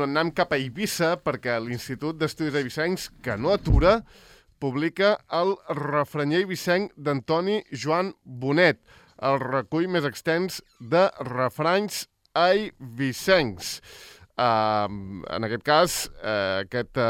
anem cap a Eivissa, perquè l'Institut d'Estudis Eivissencs, que no atura, publica el refranyer eivissenc d'Antoni Joan Bonet, el recull més extens de refranys eivissencs. En aquest cas, aquest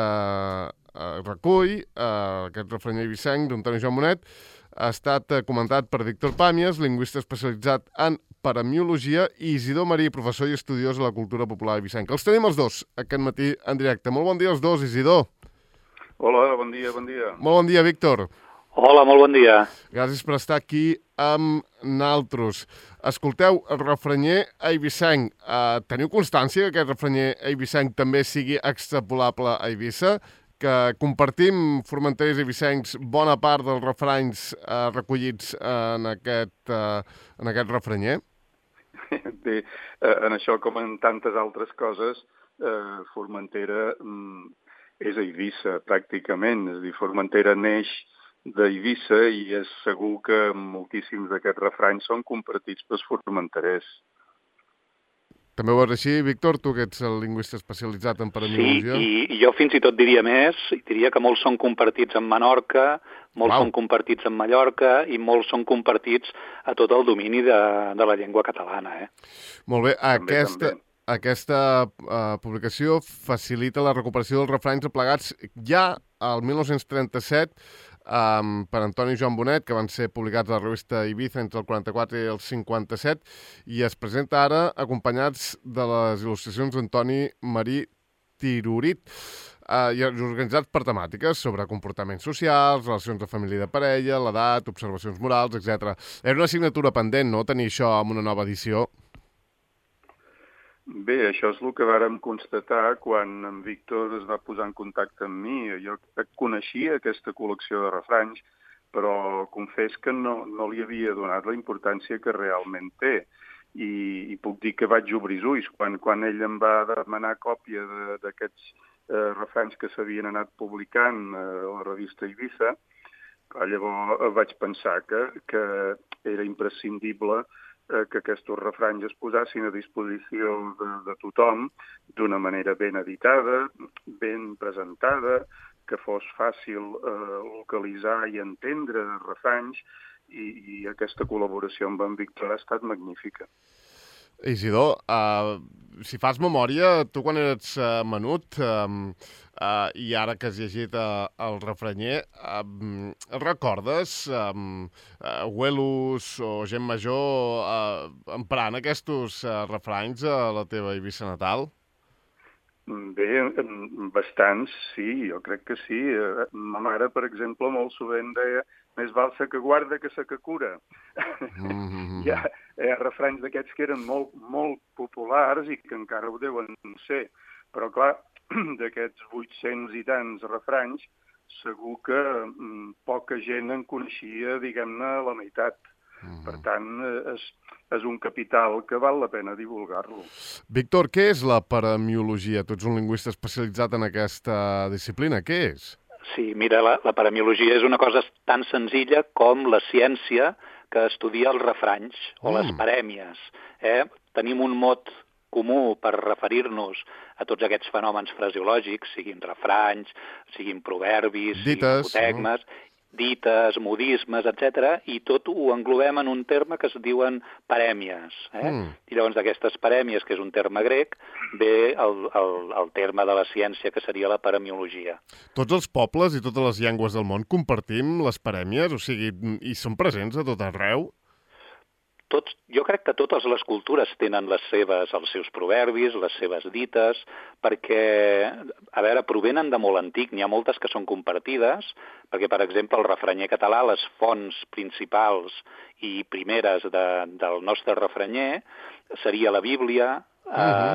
recull, aquest refranyer eivissenc d'Antoni Joan Bonet, ha estat comentat per Víctor Pàmies, lingüista especialitzat en paremiologia, i Isidor Marí, professor i estudiós de la cultura popular eivissenca. Els tenim els dos aquest matí en directe. Molt bon dia als dos, Isidor. Hola, bon dia, bon dia. Molt bon dia, Víctor. Hola, molt bon dia. Gràcies per estar aquí amb naltros. Escolteu, el refranyer eivissenc, teniu constància que aquest refranyer eivissenc també sigui extrapolable a Eivissa? Que compartim, formenterers i eivissencs, bona part dels refranys recollits en aquest refranyer? Bé, en això, com en tantes altres coses, Formentera és Eivissa, pràcticament. És a dir, Formentera neix d'Eivissa i és segur que moltíssims d'aquests refranys són compartits pels formenterers. També ho veus així, Víctor, tu que ets el lingüista especialitzat en paremiologia? Sí, i jo fins i tot diria més, diria que molts són compartits en Menorca, molts són compartits en Mallorca i molts són compartits a tot el domini de la llengua catalana. Molt bé, aquesta publicació facilita la recuperació dels refranys aplegats ja al 1937 per Antoni Joan Bonet, que van ser publicats a la revista Eivissa entre el 44 i el 57, i es presenta ara acompanyats de les il·lustracions d'Antoni Marí Tirurit, i organitzats per temàtiques sobre comportaments socials, relacions de família i de parella, l'edat, observacions morals, etc. Era una assignatura pendent, no?, tenir això en una nova edició. Bé, això és el que vàrem constatar quan en Víctor es va posar en contacte amb mi. Jo coneixia aquesta col·lecció de refranys, però confés que no li havia donat la importància que realment té. I puc dir que vaig obrir els ulls. Quan ell em va demanar còpia d'aquests refranys que s'havien anat publicant a la revista Eivissa, llavors vaig pensar que era imprescindible que aquests refranys es posassin a disposició de tothom d'una manera ben editada, ben presentada, que fos fàcil localitzar i entendre refranys, i aquesta col·laboració amb en Víctor ha estat magnífica. Isidor, si fas memòria, tu quan eres menut i ara que has llegit el refranyer, recordes abuelos o gent major emprant aquests refranys a la teva Eivissa natal? Bé, bastants, sí, jo crec que sí. Ma mare, per exemple, molt sovint deia més val sa que guarda que sa que cura. Hi ha refranys d'aquests que eren molt populars i que encara ho deuen ser. Però, clar, d'aquests 800 i tants refranys, segur que poca gent en coneixia, diguem-ne, la meitat. Per tant, és un capital que val la pena divulgar-lo. Víctor, què és la paremiologia? Tu ets un lingüista especialitzat en aquesta disciplina. Què és? Sí, mira, la paremiologia és una cosa tan senzilla com la ciència que estudia els refranys o les parèmies. Tenim un mot comú per referir-nos a tots aquests fenòmens fraseològics, siguin refranys, siguin proverbis, siguin apotegmes, dites, modismes, etc. I tot ho englobem en un terme que es diuen parèmies. I llavors d'aquestes parèmies, que és un terme grec, ve el terme de la ciència, que seria la paremiologia. Tots els pobles i totes les llengües del món compartim les parèmies? O sigui, i són presents a tot arreu? Jo crec que totes les cultures tenen els seus proverbis, les seves dites, perquè, a veure, provenen de molt antic. N'hi ha moltes que són compartides, perquè, per exemple, el refranyer català, les fonts principals i primeres del nostre refranyer seria la Bíblia,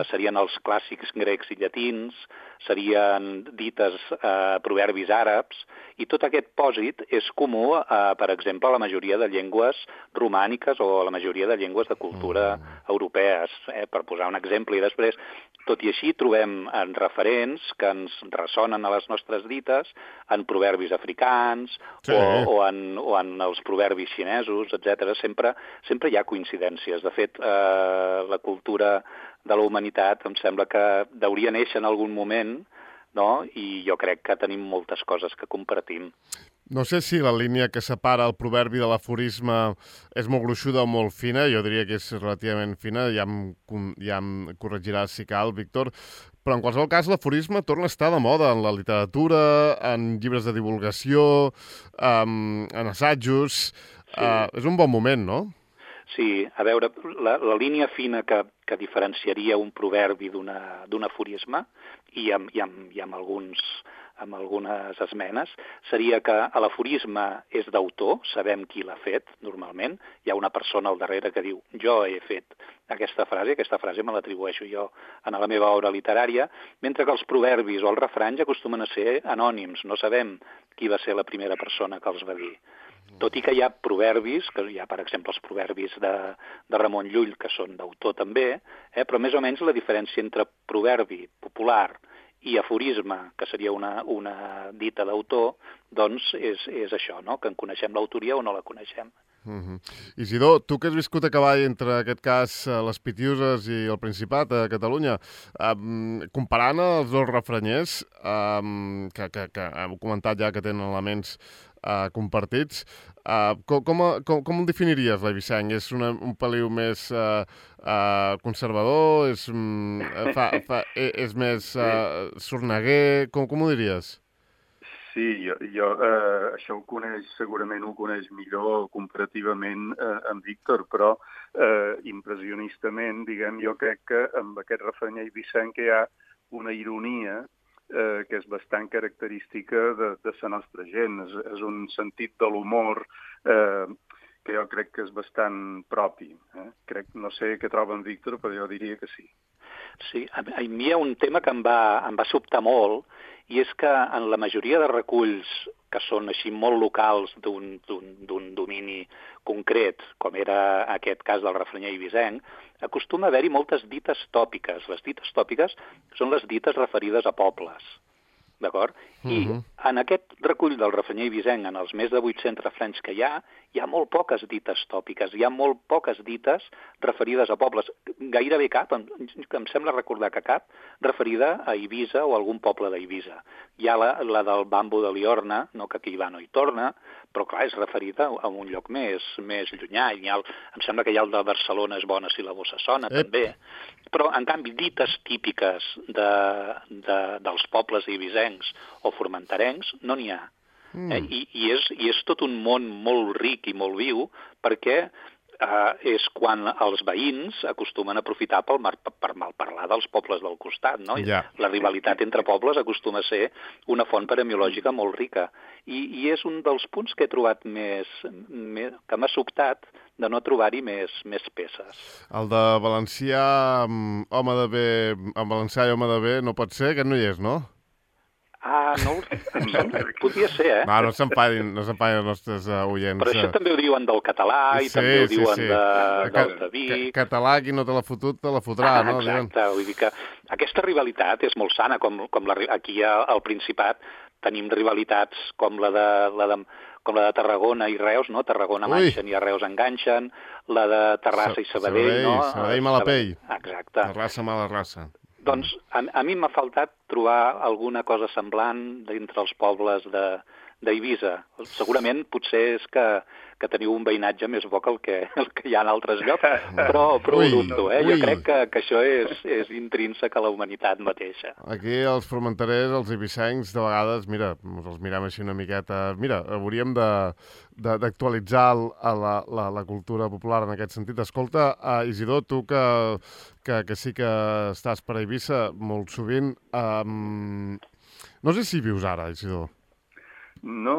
serien els clàssics grecs i llatins, serien dites proverbis àrabs, i tot aquest pòsit és comú, per exemple, a la majoria de llengües romàniques o a la majoria de llengües de cultura europees, per posar un exemple. I després Tot i així trobem en referents que ens ressonen a les nostres dites en proverbis africans o en els proverbis xinesos, etc. Sempre hi ha coincidències. De fet, la cultura de la humanitat em sembla que hauria néixer en algun moment, no? I jo crec que tenim moltes coses que compartim. No sé si la línia que separa el proverbi de l'aforisme és molt gruixuda o molt fina, jo diria que és relativament fina, ja em corregiràs si cal, Víctor, però en qualsevol cas l'aforisme torna a estar de moda en la literatura, en llibres de divulgació, en assajos. Sí. És un bon moment, no? Sí, a veure, la línia fina que diferenciaria un proverbi d'un aforisme, i amb algunes esmenes, seria que l'aforisme és d'autor, sabem qui l'ha fet, normalment. Hi ha una persona al darrere que diu jo he fet aquesta frase me l'atribueixo jo en la meva obra literària, mentre que els proverbis o els refranys acostumen a ser anònims, no sabem qui va ser la primera persona que els va dir. Tot i que hi ha proverbis, que hi ha, per exemple, els proverbis de Ramon Llull, que són d'autor també, però més o menys la diferència entre proverbi popular i aforisme, que seria una dita d'autor, doncs és això, no? Que en coneixem l'autoria o no la coneixem. Isidor, tu que has viscut a cavall entre, en aquest cas, les Pitiüses i el Principat a Catalunya, comparant els dos refranyers, que hem comentat ja que tenen elements compartits, com el definiries, l'Eivissenc? És un peliu més conservador? És més sorneguer? Com ho diries? Sí, això segurament ho coneix millor comparativament amb Víctor, però impressionistament, diguem, jo crec que amb aquest refrany eivissenc hi ha una ironia que és bastant característica de la nostra gent. És un sentit de l'humor que jo crec que és bastant propi. No sé què troba en Víctor, però jo diria que sí. Sí, a mi hi ha un tema que em va sobtar molt, i és que en la majoria de reculls que són així molt locals d'un domini concret, com era aquest cas del refranyer eivissenc, acostuma a haver-hi moltes dites tòpiques. Les dites tòpiques són les dites referides a pobles, d'acord? I en aquest recull del refranyer eivissenc, en els més de 800 refranys que hi ha molt poques dites tòpiques, hi ha molt poques dites referides a pobles. Gairebé cap, em sembla recordar que cap, referida a Eivissa o a algun poble d'Eivissa. Hi ha la del bambo de Liorna, no, que aquí va no hi torna, però clar, és referida a un lloc més llunyà. Em sembla que hi ha el de Barcelona és bona si la bossa sona, també. Però, en canvi, dites típiques dels pobles eivissencs o formenterencs no n'hi ha. I és tot un món molt ric i molt viu, perquè és quan els veïns acostumen a aprofitar per malparlar dels pobles del costat, no? La rivalitat entre pobles acostuma a ser una font paremiològica molt rica. I és un dels punts que he trobat que m'ha sobtat de no trobar-hi més peces. El de valencià, home de bé, en valencià i home de bé, no pot ser? Aquest no hi és, no? No, podria ser, No s'empadin els nostres oients. Però això també ho diuen del català i també ho diuen dels de Vic. Català, qui no te l'ha fotut, te la fotrà, no? Exacte, vull dir que aquesta rivalitat és molt sana, com aquí al Principat tenim rivalitats com la de Tarragona i Reus, no? Tarragona manxen i a Reus enganxen, la de Terrassa i Sabadell, no? Sabadell Malapell. Exacte. Terrassa, mala raça. Doncs a mi m'ha faltat trobar alguna cosa semblant d'entre els pobles d'Eivissa. Segurament potser és que teniu un veïnatge més bo que el que hi ha en altres llocs, però ho dubto. Jo crec que això és intrínsec a la humanitat mateixa. Aquí els formenterers, els eivissencs, de vegades, mira, els mirem així una miqueta... Mira, hauríem d'actualitzar la cultura popular en aquest sentit. Escolta, Isidor, tu que sí que estàs per Eivissa molt sovint, no sé si vius ara, Isidor. No.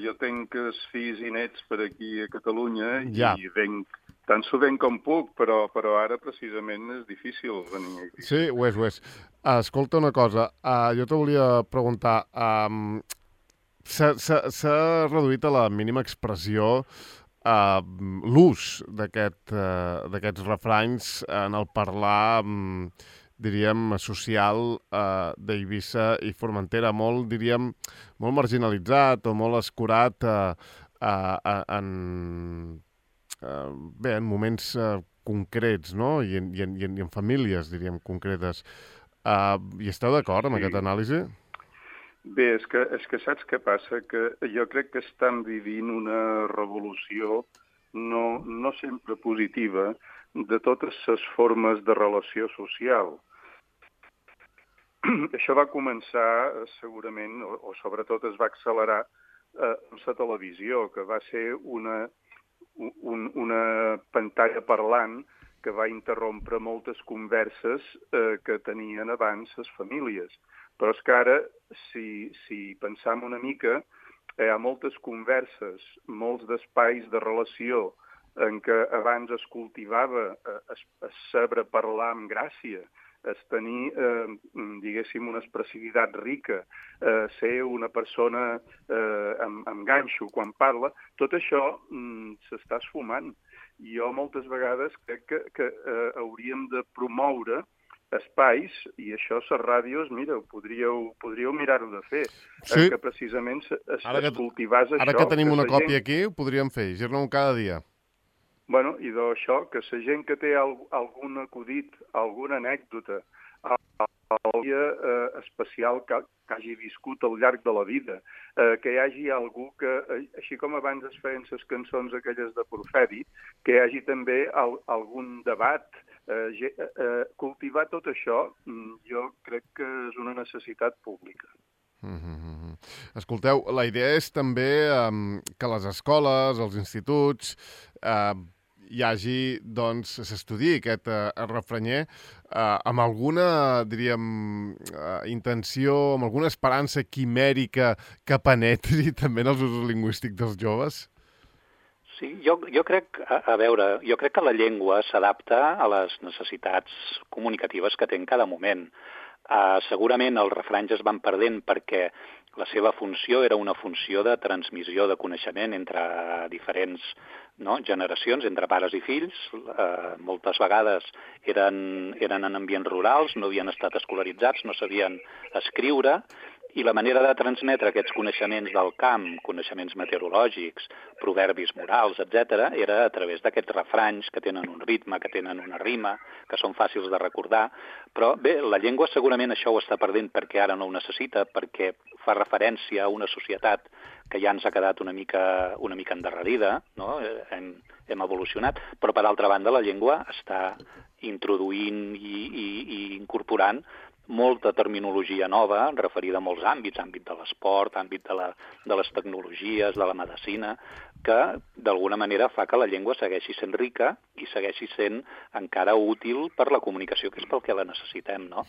Jo tenc els fills i nets per aquí a Catalunya i venc tan sovint com puc, però ara precisament és difícil venir a Eivissa. Sí, ho és. Escolta una cosa, jo te volia preguntar, s'ha reduït a la mínima expressió l'ús d'aquests refranys en el parlar diríem, social d'Eivissa i Formentera, molt, diríem, molt marginalitzat o molt escurat en moments concrets, no? I en famílies, diríem, concretes. I esteu d'acord amb aquesta anàlisi? Bé, és que saps què passa? Que jo crec que estan vivint una revolució no sempre positiva de totes les formes de relació social. Això va començar segurament, o sobretot es va accelerar amb la televisió, que va ser una pantalla parlant que va interrompre moltes converses que tenien abans les famílies. Però és que ara, si pensam una mica, hi ha moltes converses, molts d'espais de relació en què abans es cultivava es saber parlar amb gràcia, es tenir, diguéssim, una expressivitat rica, ser una persona amb ganxo quan parla, tot això s'està esfumant. Jo moltes vegades crec que hauríem de promoure espais, i això les ràdios, mira, podríeu mirar-ho de fer, sí. Que precisament es cultivàs això. Ara que tenim una còpia aquí, ho podríem fer, llegir-ne un cada dia. Bueno, i d'això, que la gent que té algun acudit, alguna anècdota, algun dia especial que hagi viscut al llarg de la vida, que hi hagi algú que, així com abans es feien les cançons aquelles de Porferi, que hi hagi també algun debat, cultivar tot això, jo crec que és una necessitat pública. Escolteu, la idea és també que les escoles, els instituts, hi hagi, doncs, s'estudi aquest refranyer amb alguna, diríem, intenció, amb alguna esperança quimèrica que penetri també en els usos lingüístics dels joves? Sí, jo crec, jo crec que la llengua s'adapta a les necessitats comunicatives que té en cada moment. Segurament els refranys es van perdent perquè la seva funció era una funció de transmissió de coneixement entre diferents generacions, entre pares i fills. Moltes vegades eren en ambients rurals, no havien estat escolaritzats, no sabien escriure, i la manera de transmetre aquests coneixements del camp, coneixements meteorològics, proverbis morals, etc., era a través d'aquests refranys que tenen un ritme, que tenen una rima, que són fàcils de recordar. Però bé, la llengua segurament això ho està perdent perquè ara no ho necessita, perquè fa referència a una societat que ja ens ha quedat una mica endarrerida, no? Hem evolucionat, però per altra banda la llengua està introduint i incorporant molta terminologia nova, referida a molts àmbits, àmbit de l'esport, àmbit de les tecnologies, de la medicina, que d'alguna manera fa que la llengua segueixi sent rica i segueixi sent encara útil per la comunicació, que és pel que la necessitem, no?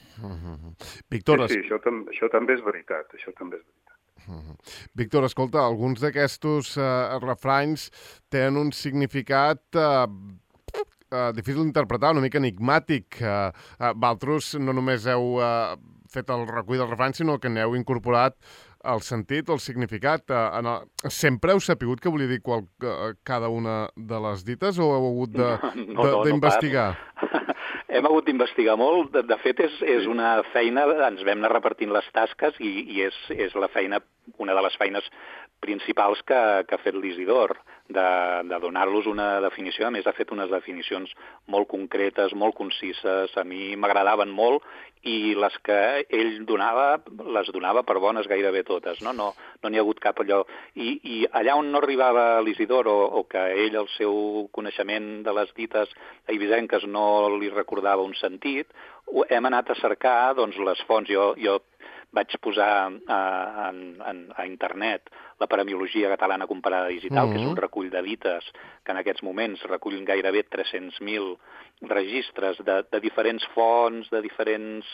Víctor, sí, això també és veritat, Víctor, escolta, alguns d'aquests refranys tenen un significat difícil d'interpretar, una mica enigmàtic. Vosaltres no només heu fet el recull dels refranys, sinó que n'heu incorporat el sentit o el significat. Sempre heu sapigut què volia dir cada una de les dites o heu hagut d'investigar? Hem hagut d'investigar molt. De fet, és una feina, ens vam anar repartint les tasques i és la feina, una de les feines principals que ha fet l'Isidor, de donar-los una definició. A més, ha fet unes definicions molt concretes, molt concises, a mi m'agradaven molt, i les que ell donava, les donava per bones gairebé totes, no n'hi ha hagut cap allò. I allà on no arribava l'Isidor, o que ell, el seu coneixement de les dites eivissenques no li recordava un sentit, hem anat a cercar les fonts. Jo vaig posar a internet la Paremiologia Catalana Comparada Digital, que és un recull de dites que en aquests moments recullen gairebé 300.000 registres de diferents fonts, de diferents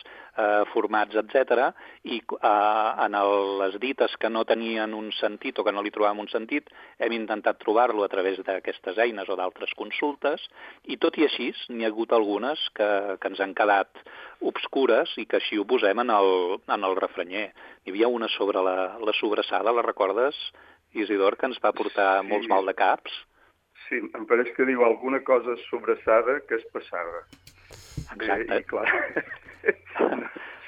formats, etc. I en les dites que no tenien un sentit o que no li trobàvem un sentit, hem intentat trobar-lo a través d'aquestes eines o d'altres consultes, i tot i així n'hi ha hagut algunes que ens han quedat obscures i que així ho posem en el refranyer. Hi havia una sobre la sobrassada, la recordes, Isidor, que ens va portar molts mal de caps? Sí, em pareix que diu alguna cosa sobrassada que és passada. Exacte. I clar,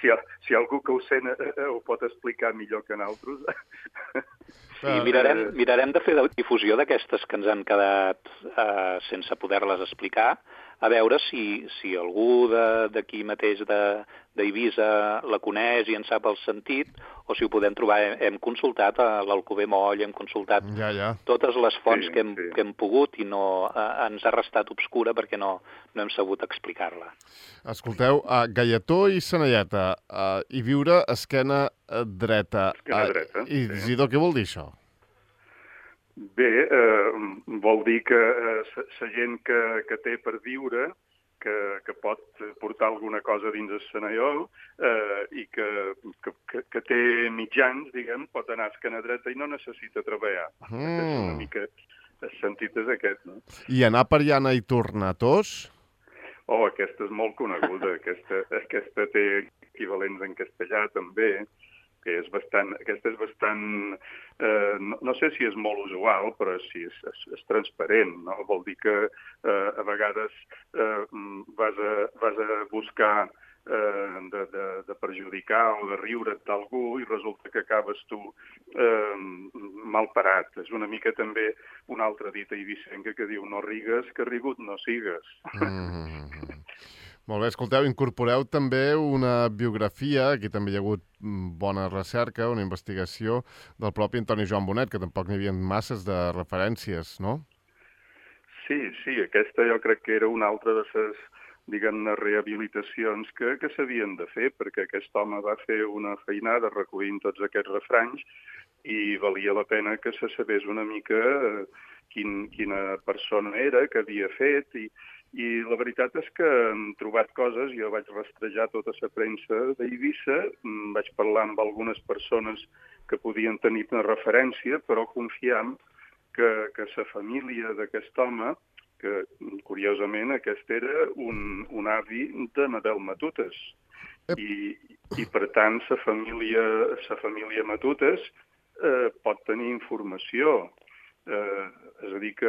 Si algú que ho sent ho pot explicar millor que nosaltres. Sí, mirarem de fer difusió d'aquestes que ens han quedat sense poder-les explicar, a veure si algú d'aquí mateix d'Eivissa la coneix i en sap el sentit, o si ho podem trobar. Hem consultat a l'Alcover Moll, hem consultat totes les fonts que hem pogut i no ens ha restat obscura perquè no hem sabut explicar-la. Escolteu, Gaietó i Senelleta, i viure esquena dreta. Esquena dreta. Isidor, què vol dir això? Bé, vol dir que la gent que té per viure, que pot portar alguna cosa dins el Senaiol i que té mitjans, diguem, pot anar a esquena dreta i no necessita treballar. És una mica el sentit és aquest, no? I anar per llana i tornatós? Oh, aquesta és molt coneguda. Aquesta té equivalents en castellà, també, que aquesta és bastant, no sé si és molt usual, però sí, és transparent, no? Vol dir que a vegades vas a buscar de perjudicar o de riure't d'algú i resulta que acabes tu mal parat. És una mica també una altra dita eivissenca que diu no rigues, que rigut no sigues. Molt bé, escolteu, incorporeu també una biografia, aquí també hi ha hagut bona recerca, una investigació del propi Antoni Joan Bonet, que tampoc n'hi havia masses de referències, no? Sí, aquesta jo crec que era una altra de les, diguem-ne, rehabilitacions que s'havien de fer, perquè aquest home va fer una feinada recollint tots aquests refranys i valia la pena que se sabés una mica quina persona era, què havia fet, i la veritat és que hem trobat coses, jo vaig rastrejar tota la premsa d'Eivissa, vaig parlar amb algunes persones que podien tenir una referència, però confiam que la família d'aquest home, que curiosament aquest era un avi de Medel Matutes, i per tant la família Matutes pot tenir informació. És a dir, que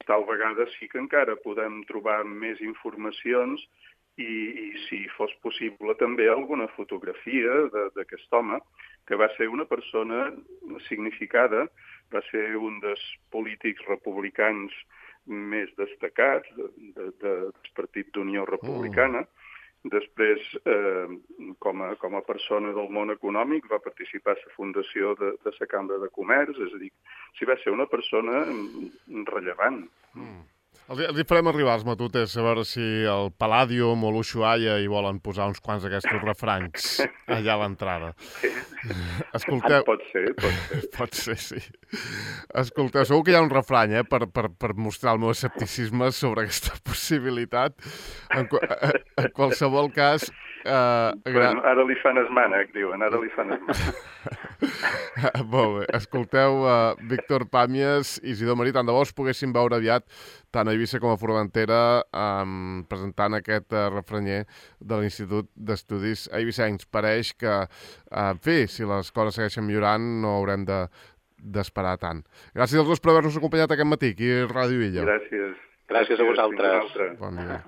tal vegada sí que encara podem trobar més informacions i si fos possible també alguna fotografia d'aquest home, que va ser una persona significada, va ser un dels polítics republicans més destacats del Partit d'Unió Republicana. Després, com a persona del món econòmic, va participar a la fundació de la Cambra de Comerç, és a dir, si va ser una persona rellevant. Els farem arribar als Matutes a veure si el Palladium o l'Ushuaia hi volen posar uns quants d'aquests refranys allà a l'entrada. Escolteu... Pot ser. Pot ser, sí. Escolteu, segur que hi ha un refrany, per mostrar el meu escepticisme sobre aquesta possibilitat. En qualsevol cas... Bueno, ara li fan esmànec, diuen, ara li fan esmànec. Molt bé. Escolteu, Víctor Pàmies i Isidor Marí, tant de bo us poguéssim veure aviat tant a Eivissa com a Formentera presentant aquest refranyer de l'Institut d'Estudis Eivissencs. Pareix que, en fi, si les coses segueixen millorant, no haurem d'esperar tant. Gràcies als dos per haver-nos acompanyat aquest matí aquí a Ràdio Illa. Gràcies. Gràcies a vosaltres. Bon dia.